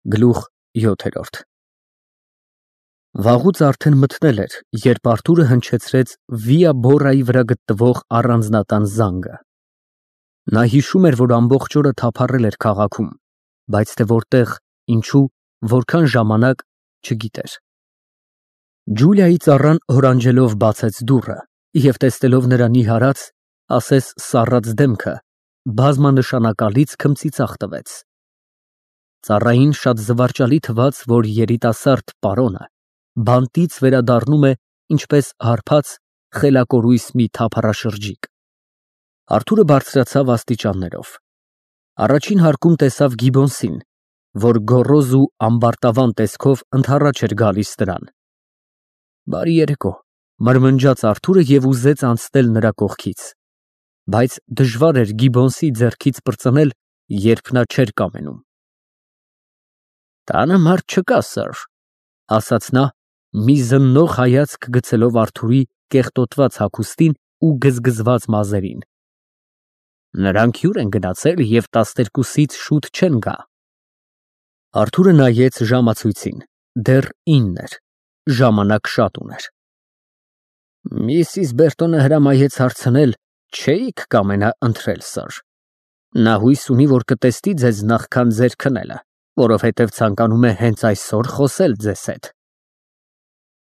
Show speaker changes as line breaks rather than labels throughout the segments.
Գլուխ 7 Վաղուց արդեն մթնել էր, երբ Արթուրը հնչեցրեց Վիա Բորայի վրա գտնվող առանձնատան զանգը։ Նա հիշում էր, որ ամբողջ օրը թափառել էր քաղաքում, բայց թե որտեղ, ինչու, որքան ժամանակ չգիտեր։ Ջուլիայի ծառան հորանջելով բացեց դուռը և տեսնելով նրա նիհարած, ասես սառած դեմքը, բազմանշանակալից քմծիծաղ տվեց։ Ծառային շատ զվարճալի թվաց, որ երիտասարդ պարոնը բանտից վերադառնում է ինչպես հարբած խելակորույս մի թափառաշրջիկ։ Արթուրը բարձրացավ աստիճաններով։ Առաջին հարկում տեսավ Գիբոնսին, որ գոռոզ ու ամբարտավան տեսքով ընդառաջ էր գալիս նրան։ Բարի երեկո, մրմնջաց Արթուրը և ուզեց անցնել նրա կողքից, բայց դժվար էր Գիբոնսի ձեռքից պրծնել, երբ նա չէր կամենում։ Տանը մարդ չկա, սըր, ասաց նա, մի զննող հայացք գցելով Արթուրի կեղտոտված հագուստին ու գզգզված մազերին։ Նրանք հյուր են գնացել և 12-ից շուտ չեն գա։ Արթուրը նայեց ժամացույցին, դեռ 9 էր, ժամանակ շատ ուներ։ Միսիս Բերտոնը հրամայեց հարցնել, չէի՞ք կամենա ընթրել, սըր։ Նա հույս ունի, որ կտեսնի ձեզ նախքան ձեր քնելը, որովհետև ցանկանում է հենց այսօր խոսել ձեզ հետ։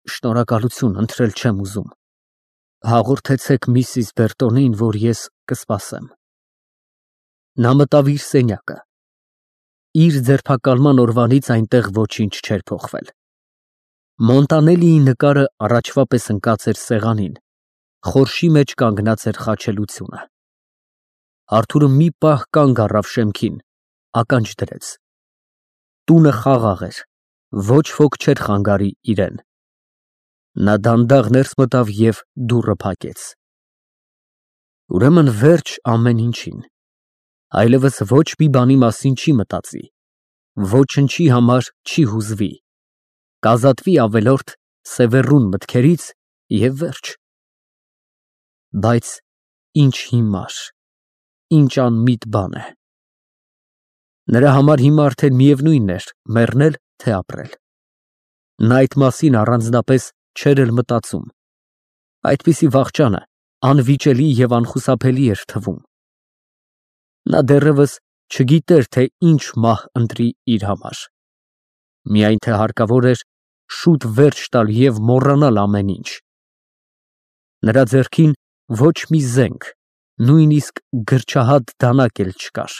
Շնորհակալություն, ընթրել չեմ ուզում։ Հաղորդեցեք միսիս Բերտոնին, որ ես կսպասեմ։ Նա մտավ իր սենյակը։ Իր ձերբակալման օրվանից այնտեղ ոչինչ չէր փոխվել։ Մոնտանելիի նկարը առաջվա պես ընկած էր սեղանին, խորշի մեջ կանգնած էր խաչելությունը։ Արթուրը մի պահ կանգ առավ շեմքին, ականջ դրեց։ Տունը խաղաղ էր, ոչ ոք չէր խանգարի իրեն։ Նա դանդաղ ներս մտավ և դուռը փակեց։ Ուրեմն վերջ ամեն ինչին։ Այլևս ոչ մի բանի մասին չի մտածի, ոչնչի համար չի հուզվի, կազատվի ավելորդ սևեռուն մտքերից և վերջ։ Բայց ինչ հիմար, ինչ անմիտ բան է։ Նրա համար հիմա արդեն միևնույն էր մեռնել, թե ապրել։ Նա այդ մասին առանձնապես չէր էլ մտածում։ Այդպիսի վախճանը անվիճելի և անխուսափելի էր թվում։ Նա դեռևս չգիտեր, թե ինչ մահ ընտրի իր համար։ Միայն թե հարկավոր էր շուտ վերջ տալ և մոռանալ ամեն ինչ։ Նրա ձեռքին ոչ մի զենք, նույնիսկ գրչահատ դանակ էլ չկար։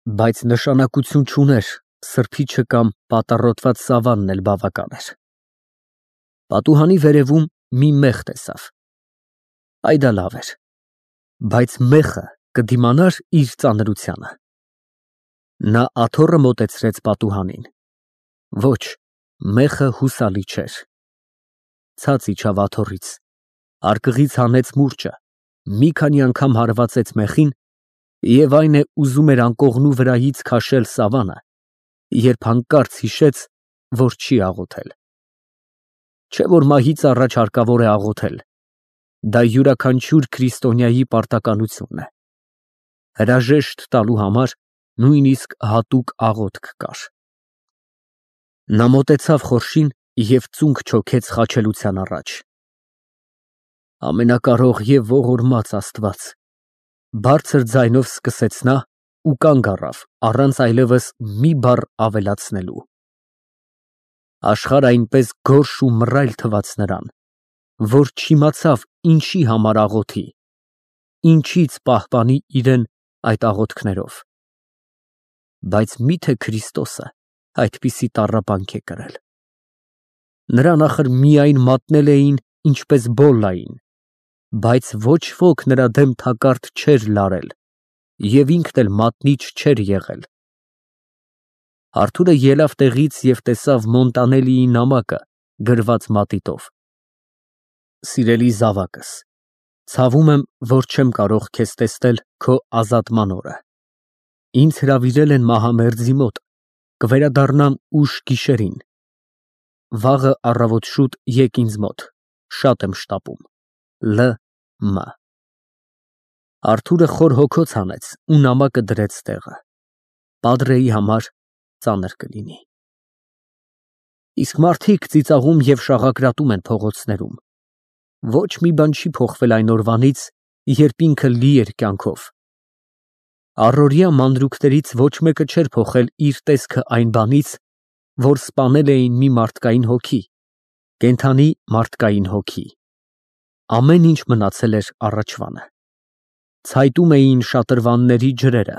Բայց նշանակություն չուներ, սրբիչը կամ պատառոտված սավանն էլ բավական էր։ Պատուհանի վերևում մի մեխ տեսավ։ Այ դա լավ էր։ Բայց մեխը կդիմանա՞ր իր ծանրությանը։ Նա աթոռը մոտեցրեց պատուհանին։ Ոչ, մեխը հուսալի չէր։ Ցած իջավ աթոռից, արկղից հանեց մուրճը, մի քանի անգամ հարվածեց մեխին և այն է ուզում էր անկողնու վրայից քաշել սավանը, երբ հանկարծ հիշեց, որ չի աղոթել։ Չէ՞ որ մահից առաջ հարկավոր է աղոթել, դա յուրաքանչյուր քրիստոնյայի պարտականությունն է։ Հրաժեշտ տալու համար նույնիսկ հատուկ աղոթք կար։ Նա մոտեցավ խորշին և ծունկ չոքեց խաչելության առաջ։ Ամենակարող և ողորմած Աստված, բարձր ձայնով սկսեց նա ու կանգ առավ, առանց այլևս մի բառ ավելացնելու։ Աշխարհը այնպես գորշ ու մռայլ թվաց նրան, որ չիմացավ ինչի համար աղոթի, ինչից պահպանի իրեն այդ աղոթքներով։ Բայց մի՞թե Քրիստոսը այդպիսի տառապանք է կրել։ Նրան ախր միայն մատնել էին, ինչպես Բոլլային, բայց ոչ ոք նրա դեմ թակարդ չէր լարել և ինքն էլ մատնիչ չէր եղել։ Արթուրը ելավ տեղից և տեսավ Մոնտանելիի նամակը գրված մատիտով. Սիրելի զավակս, ցավում եմ, որ չեմ կարող քեզ տեսնել քո ազատման օրը։ Ինձ հրավիրել են մահամերձի մոտ, կվերադառնամ ուշ գիշերին։ Վաղը առավոտ շուտ եկ ինձ մոտ, շատ եմ շտապում։ Լ.Մ. Արթուրը խոր հոգոց հանեց ու նամակը դրեց տեղը։ Պատրեի համար, ծանր կլինի։ Իսկ մարդիկ ծիծաղում և շաղակրատում են փողոցներում։ Ոչ մի բան չի փոխվել այն օրվանից, երբ ինքը լի էր կյանքով։ Առօրյա մանրուքներից ոչ մեկը չէր փոխել իր տեսքը այն բանից, որ սպանել էին մի մարդկային հոգի, կենդանի մարդկային հոգի։ Ամեն ինչ մնացել էր առաջվանը։ Ցայտում էին շատրվանների ջրերը,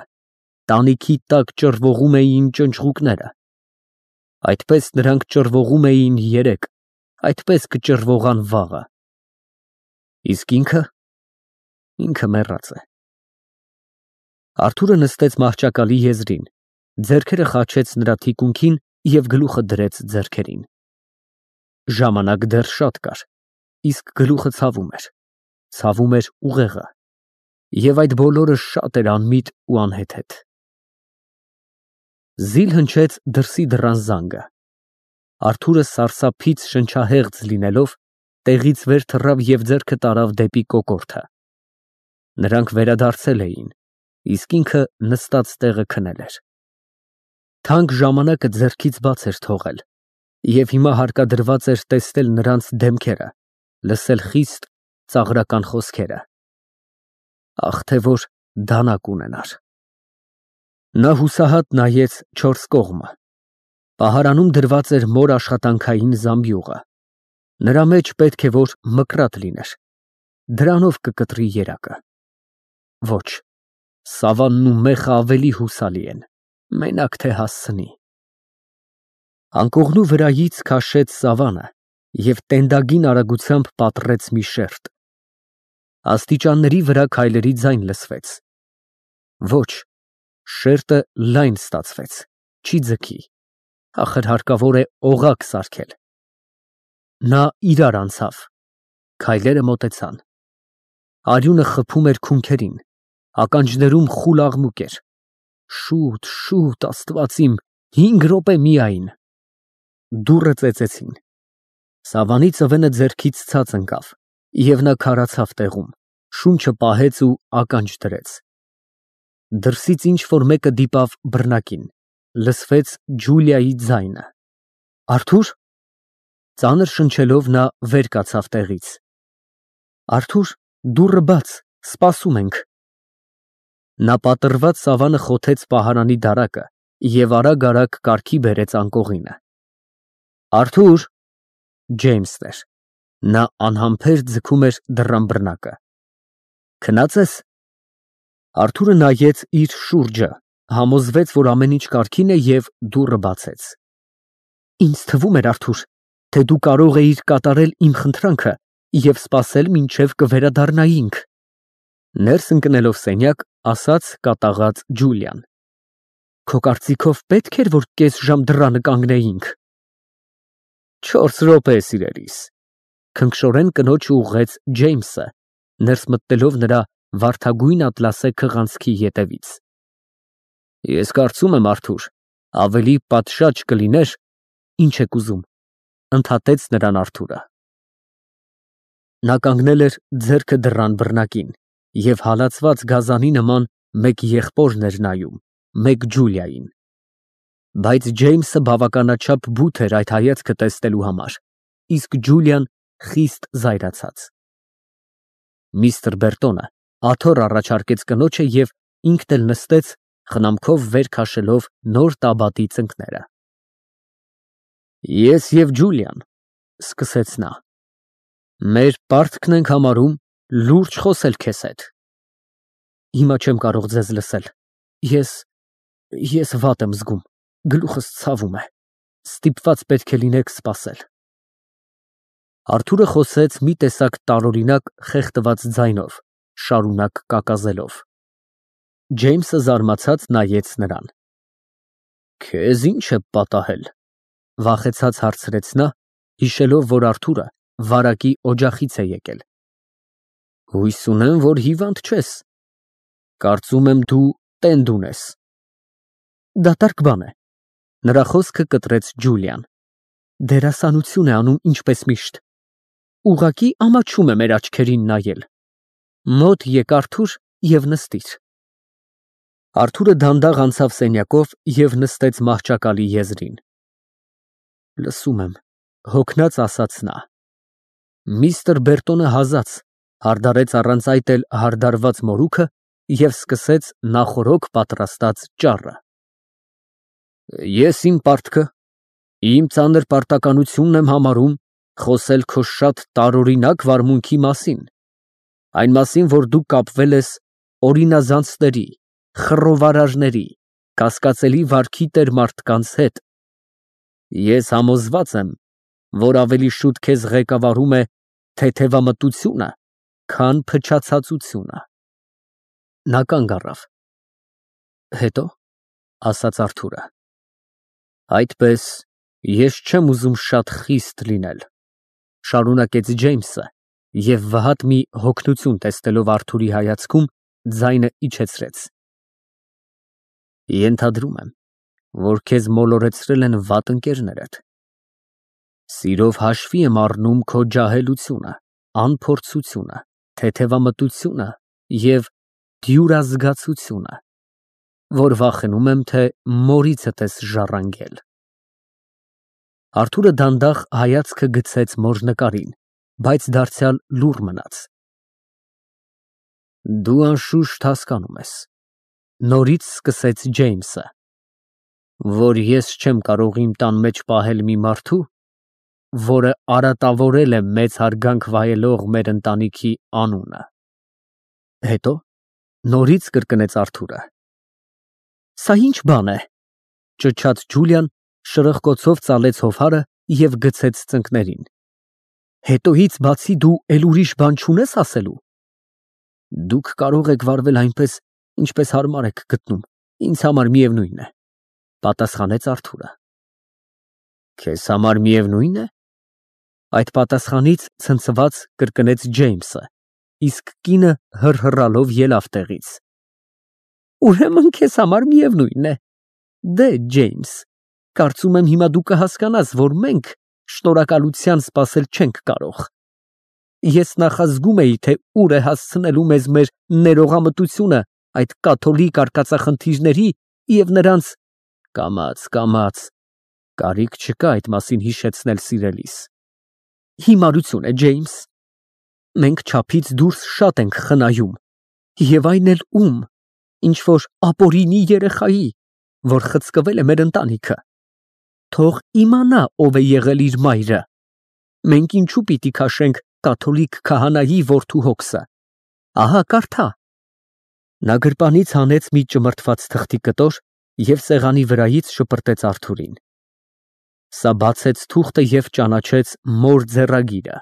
տանիքի տակ ճռվողում էին ճնճղուկները։ Այդպես նրանք ճռվողում էին երեկ, այդպես կճռվողան վաղը։ Իսկ ինքը մեռած է։ Արթուրը նստեց մահճակալի եզրին, ձեռքերը խաչեց նրա թիկունքին և գլուխը դրեց ձեռքերին։ Ժամանակ դեռ շատ կար, իսկ գլուխը ցավում էր ուղեղը, և այդ բոլորը շատ էր անմիտ ու անհեթեթ։ Զիլ հնչեց դրսի դռան զանգը։ Արթուրը սարսափից շնչահեղձ լինելով, տեղից վեր թռավ և ձեռքը տարավ դեպի կոկորդը։ Նրանք վերադարձել էին, իսկ ինքը նստած տեղը քնել էր։ Թանկ ժամանակը ձեռքից բաց էր թողել, և հիմա հարկադրված էր տեսնել նրանց դեմքերը, լսել խիստ ծաղրական խոսքերը։ Ախ, թե որ դանակ ունենար։ Նա հուսահատ նայեց չորս կողմը։ Պահարանում դրված էր մոր աշխատանքային զամբյուղը։ Նրա մեջ պետք է որ մկրատ լիներ, դրանով կկտրի երակը։ Ոչ, սավանն ու մեխը ավելի հուսալի են, մենակ թե հասցնի։ Անկողնու վրայից քաշեց սավանը և տենդագին արագությամբ պատռեց մի շերտ։ Աստիճանների վրա քայլերի ձայն լսվեց։ Ոչ, շերտը լայն ստացվեց, չի ձգի, ախր հարկավոր է օղակ սարքել։ Նա իրար անցավ, քայլերը մոտեցան։ Արյունը խփում էր քունքերին, ականջներում խուլ աղմուկ էր։ Շուտ, շուտ, Աստված իմ, 5 րոպե միայն։ Դուռը ծեծեցին։ Սավանի ծվենը ձեռքից ցած ընկավ, և նա քարացավ տեղում, շունչը պահեց ու ականջ դրեց։ Դրսից ինչ֊որ մեկը դիպավ բռնակին, լսվեց Ջուլիայի ձայնը։ Արթո՞ւր։ Ծանր շնչելով նա վեր կացավ տեղից։ Արթուր, դուռը բաց, սպասում ենք։ Նա պատռված սավանը խոթեց պահարանի դարակը և արագ կարգի բերեց անկողինը։ Արթուր։ Ջեյմսն էր։ Նա անհամբեր ձգում էր դռան բռնակը։ Քնած ես։ Արթուրը նայեց իր շուրջը, համոզվեց, որ ամեն ինչ կարգին է և դուռը բացեց։ Ինձ թվում էր, Արթուր, թե դու կարող էիր կատարել իմ խնդրանքը և սպասել մինչև կվերադառնայինք, ներս ընկնելով սենյակ, ասաց կատաղած Ջուլիան։ Քո կարծիքով պետք էր, որ կես ժամ դռանը կանգնեինք։ 4 րոպե, սիրելիս, քնքշորեն կնոջը ուղղեց Ջեյմսը, ներս մտնելով նրա վարդագույն ատլասե քղանցքի ետևից։ Ես կարծում եմ, Արթուր, ավելի պատշաճ կլիներ, ինչ եք ուզում, ընդհատեց նրան Արթուրը։ Նա կանգնել էր ձեռքը դռան բռնակին և հալածված գազանի նման մեկ եղբորն էր նայում, մեկ Ջուլիային։ Բայց Ջեյմսը բավականաչափ բութ էր այդ հայացքը տեսնելու համար, իսկ Ջուլիան խիստ զայրացած։ Միստր Բերտոնը աթոռ առաջարկեց կնոջը և ինքն էլ նստեց, խնամքով վեր քաշելով նոր տաբատի ծնկները։ Ես և Ջուլիան, սկսեց նա, մեր պարտքն ենք համարում լուրջ խոսել քեզ հետ։ Հիմա չեմ կարող ձեզ լսել, ես վատ եմ զգում, գլուխս ցավում է, ստիպված պետք է լինեք սպասել։ Արթուրը խոսեց մի տեսակ տարօրինակ խեղդված ձայնով, շարունակ կակազելով։ Ջեյմսը զարմացած նայեց նրան։ Քեզ ի՞նչ է պատահել, վախեցած հարցրեց նա, հիշելով, որ Արթուրը վարակի օջախից է եկել։ Հույս ունեմ, որ հիվանդ չես։ Կարծում եմ դու տենդ ունես։ Դատարկ բան է։ Նրա խոսքը կտրեց Ջուլիան։ Դերասանություն է անում ինչպես միշտ։ Ուղղակի ամաչում է մեր աչքերին նայել։ Մոտ եկ Արթուր և նստիր։ Արթուրը դանդաղ անցավ սենյակով և նստեց մահճակալի եզրին։ Լսում եմ, հոգնած ասաց նա։ Միստր Բերտոնը հազաց, հարդարեց առանց այդ էլ հարդարված մորուքը և սկսեց նախօրոք պատրաստած ճառը։ Ես իմ պարտքը, իմ ծանր պարտականությունն եմ համարում խոսել քո շատ տարօրինակ վարմունքի մասին, այն մասին, որ դու կապվել ես օրինազանցների, խռովարարների, կասկածելի վարքի տեր մարդկանց հետ։ Ես համոզված եմ, որ ավելի շուտ քեզ ղեկավարում է թեթևամտությունը, քան փչացածությունը։ Նա կանգ առավ։ Հետո, ասաց Արթուրը, այդպես ես չեմ ուզում շատ խիստ լինել, շարունակեց Ջեյմսը և վհատ մի հոգնություն տեսնելով Արթուրի հայացքում, ձայնը իջեցրեց։ Ենթադրում եմ, որ քեզ մոլորեցրել են վատ ընկերներդ։ Սիրով հաշվի եմ առնում քո ջահելությունը, անփորձությունը, թեթևամտությունը և դյուրազգացությունը, որ վախենում եմ, թե մորիցդ ես ժառանգել։ Արթուրը դանդաղ հայացքը գցեց մոր նկարին, բայց դարձյալ լուռ մնաց։ Դու անշուշտ հասկանում ես, նորից սկսեց Ջեյմսը, որ ես չեմ կարող իմ տան մեջ պահել մի մարդու, որը արատավորել է մեծ հարգանք վայելող մեր ընտանիքի անունը։ Հետո նորից կրկնեց Արթուրը։ Սա ինչ բան է, ճչաց Ջուլիան, շրխկոցով ծալեց հովհարը և գցեց ծնկներին։ Հետոից բացի դու էլ ուրիշ բան չունես ասելու։ Դուք կարող եք վարվել այնպես, ինչպես հարմար եք գտնում, ինձ համար միևնույն է, պատասխանեց Արթուրը։ Քեզ համար միևնույն է։ Այդ պատասխանից ցնցված կրկնեց Ջեյմսը, իսկ կինը հռհռալով ելավ տեղից։ Ուրեմն քեզ համար միևնույն է։ Դե, Ջեյմս, կարծում եմ հիմա դու կհասկանաս, որ մենք շնորհակալության սպասել չենք կարող։ Ես նախազգում էի, թե ուր է հասցնելու մեզ մեր ներողամտությունը այդ կաթոլիկ արկածախնդիրների և նրանց… Կամաց, կարիք չկա այդ մասին հիշեցնել սիրելիս։ Հիմարություն է, Ջեյմս։ Մենք չափից դուրս շատ ենք խնայում, և այն էլ ում, ինչ֊որ ապօրինի երեխայի, որ խցկվել է մեր ընտանիքը։ Թող իմանա, ով է եղել իր մայրը։ Մենք ինչու պիտի քաշենք կաթոլիկ քահանայի որդու հոգսը։ Ահա կարդա։ Նա գրպանից հանեց մի ճմրթված թղթի կտոր և սեղանի վրայից շպրտեց Արթուրին։ Սա բացեց թուղթը և ճանաչեց մոր ձեռագիրը։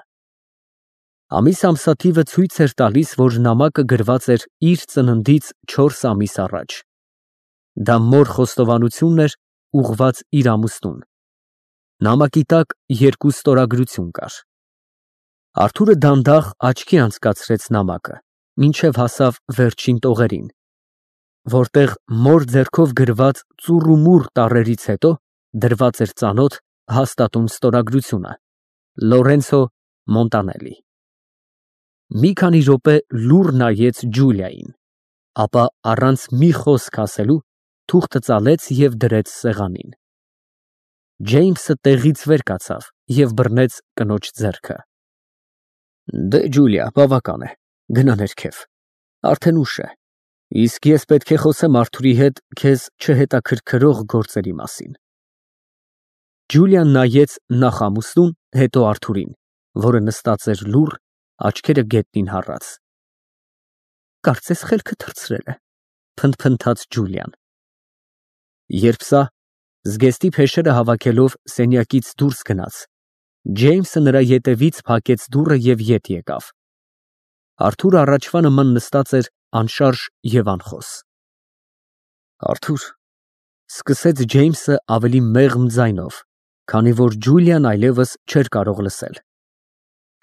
Ամիս ամսաթիվը ցույց էր տալիս, որ նամակը գրված էր իր ծննդից 4 ամիս առաջ։ Դա մոր խոստովանությունն էր ուղղված իր ամուսնուն։ Նամակի տակ 2 ստորագրություն կար։ Արթուրը դանդաղ աչքի անցկացրեց նամակը, մինչև հասավ վերջին տողերին, որտեղ մոր ձեռքով գրված ծուռումուռ տառերից հետո դրված էր ծանոթ, հաստատուն ստորագրությունը՝ Լորենցո Մոնտանելի։ Մի քանի րոպե լուռ նայեց Ջուլիային, ապա առանց մի խոսք ասելու թուղթը ծալեց և դրեց սեղանին։ Ջեյմսը տեղից վեր կացավ և բռնեց կնոջ ձեռքը։ Դե, Ջուլիա, բավական է, գնա ներքև, արդեն ուշ է, իսկ ես պետք է խոսեմ Արթուրի հետ քեզ չհետաքրքրող գործերի մասին։ Ջուլիան նայեց նախ ամուսնուն, հետո Արթուրին, որը նստած էր լուռ, աչքերը գետնին հառած։ Կարծես խելքը թռցրել է, փնթփնթաց Ջուլիան։ Երբ սա, զգեստի փեշերը հավաքելով սենյակից դուրս գնաց, Ջեյմսը նրա ետևից փակեց դուռը և ետ եկավ։ Արթուրը առաջվա նման նստած էր անշարժ և անխոս։ Արթուր, սկսեց Ջեյմսը ավելի մեղմ ձայնով, քանի որ Ջուլիան այլևս չէր կարող լսել,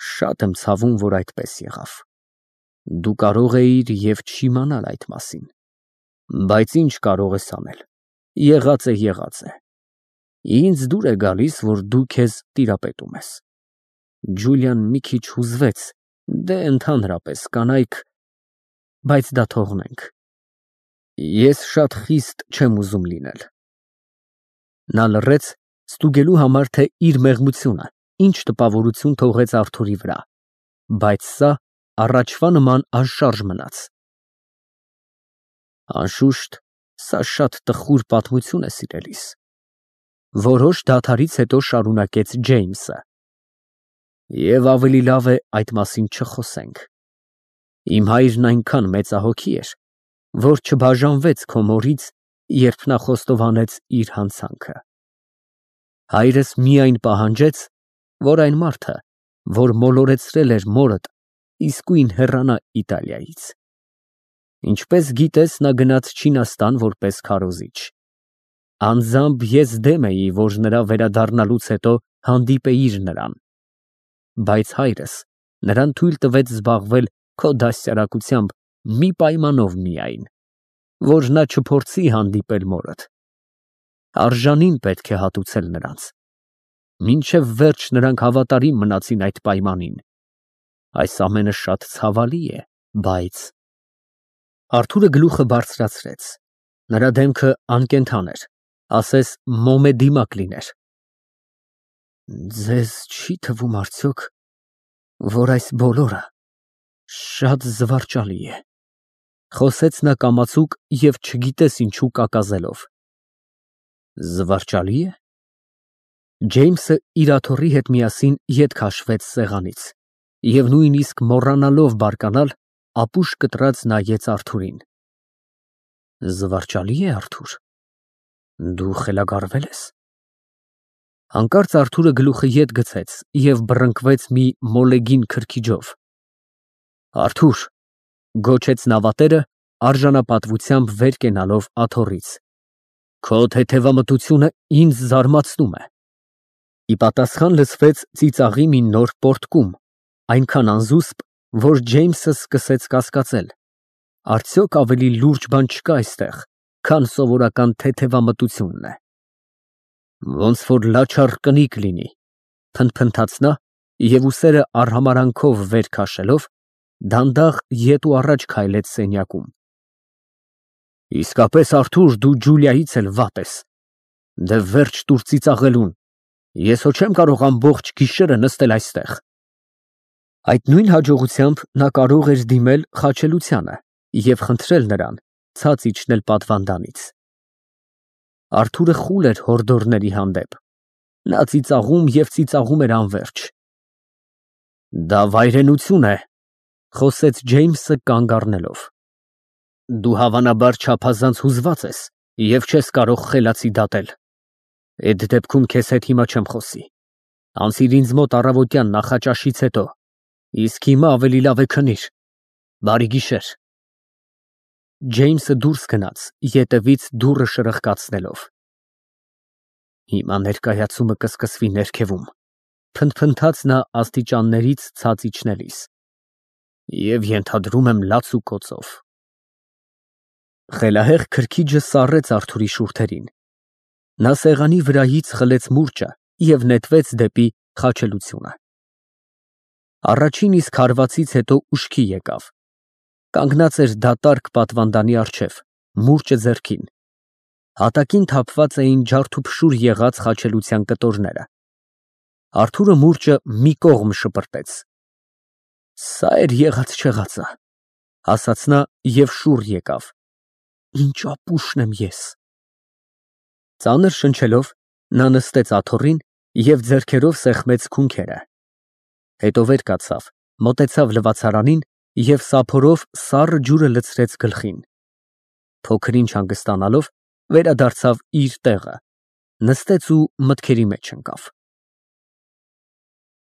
շատ եմ ցավում, որ այդպես եղավ։ Դու կարող էիր և չիմանալ այդ մասին, բայց ինչ կարող ես անել, եղած է։ Ինձ դուր է գալիս, որ դու քեզ տիրապետում ես։ Ջուլիան մի քիչ հուզվեց, դե ընդհանրապես կանայք… Բայց դա թողնենք։ Ես շատ խիստ չեմ ուզում լինել։ Նա լռեց, ստուգելու համար, թե իր մեղմությունը ինչ տպավորություն թողեց Արթուրի վրա, բայց սա առաջվա նման անշարժ մնաց։ Անշուշտ, սա շատ տխուր պատմություն է, սիրելիս, որոշ դադարից հետո շարունակեց Ջեյմսը, և ավելի լավ է այդ մասին չխոսենք։ Իմ հայրն այնքան մեծահոգի էր, որ չբաժանվեց քո մորից, երբ նա խոստովանեց իր հանցանքը։ Հայրս միայն պահանջեց, որ այն մարդը, որ մոլորեցրել էր մորդ, իսկույն հեռանա Իտալիայից։ Ինչպես գիտես, նա գնաց Չինաստան որպես քարոզիչ։ Անձամբ ես դեմ էի, որ նրա վերադառնալուց հետո հանդիպեիր նրան, բայց հայրս նրան թույլ տվեց զբաղվել քո դաստիարակությամբ մի պայմանով միայն, որ նա չփորձի հանդիպել մորդ։ Արժանին պետք է հատուցել նրանց։ Մինչև վերջ նրանք հավատարիմ մնացին այդ պայմանին։ Այս ամենը շատ ցավալի է, բայց… Արթուրը գլուխը բարձրացրեց։ Նրա դեմքը անկենդան էր, ասես մոմե դիմակ լիներ։ Ձեզ չի թվում արդյոք, որ այս բոլորը շատ զվարճալի է, խոսեց նա կամացուկ և չգիտես ինչու կակազելով։ Զվարճալի է։ Ջեյմսը իր աթոռի հետ միասին ետ քաշվեց սեղանից և նույնիսկ մոռանալով բարկանալ, ապուշ կտրած նայեց Արթուրին։ Զվարճալի է, Արթուր, դու խելագարվել ես։ Հանկարծ Արթուրը գլուխը ետ գցեց և բռնկվեց մի մոլեգին քրքիջով։ Արթուր, գոչեց նավատերը, արժանապատվությամբ վեր կենալով աթոռից, քո թեթևամտությունը ինձ զարմացնում է։ Ի պատասխան լսվեց ծիծաղի մի նոր պոռթկում, այնքան անզուսպ, որ Ջեյմսը սկսեց կասկածել. արդյոք ավելի լուրջ բան չկա այստեղ, քան սովորական թեթևամտությունն է։ Ոնց որ լաչառ կնիկ լինի, փնթփնթաց նա և ուսերը արհամարանքով վեր քաշելով, դանդաղ ետ ու առաջ քայլեց սենյակում։ Իսկապես, Արթուր, դու Ջուլիայից էլ վատ ես։ Դե վերջ տուր ծիծաղելուն, ես հո չեմ կարող ամբողջ գիշերը նստել այստեղ։ Այդ նույն հաջողությամբ նա կարող էր դիմել խաչելությանը և խնդրել նրան ցած իջնել պատվանդանից։ Արթուրը խուլ էր հորդորների հանդեպ։ Նա ծիծաղում և ծիծաղում էր անվերջ։ Դա վայրենություն է, խոսեց Ջեյմսը կանգ առնելով։ Դու հավանաբար չափազանց հուզված ես և չես կարող խելացի դատել։ Այդ դեպքում քեզ հետ հիմա չեմ խոսի։ Անցիր ինձ մոտ առավոտյան նախաճաշից հետո, իսկ հիմա ավելի լավ է քնիր։ Բարի գիշեր։ Ջեյմսը դուրս գնաց, ետևից դուռը շրխկացնելով։ Հիմա ներկայացումը կսկսվի ներքևում, փնթփնթաց նա աստիճաններից ցած իջնելիս, և ենթադրում եմ լաց ու կոծով։ Խելահեղ քրքիջը սառեց Արթուրի շուրթերին։ Նա սեղանի վրայից խլեց մուրճը և նետվեց դեպի խաչելությունը։ Առաջին իսկ հարվածից հետո ուշքի եկավ։ Կանգնած էր դատարկ պատվանդանի առջև, մուրճը ձեռքին։ Հատակին թափված էին ջարդուփշուր եղած խաչելության կտորները։ Արթուրը մուրճը մի կողմ շպրտեց։ Սա էր եղած֊չեղածը, ասաց նա և շուռ եկավ։ Ինչ ապուշն եմ ես։ Ծանր շնչելով, նա նստեց աթոռին և ձեռքերով սեղմեց քունքերը։ Հետո վեր կացավ, մոտեցավ լվացարանին և սափորով սառը ջուրը լցրեց գլխին։ Փոքր ինչ հանգստանալով, վերադարձավ իր տեղը, նստեց ու մտքերի մեջ ընկավ։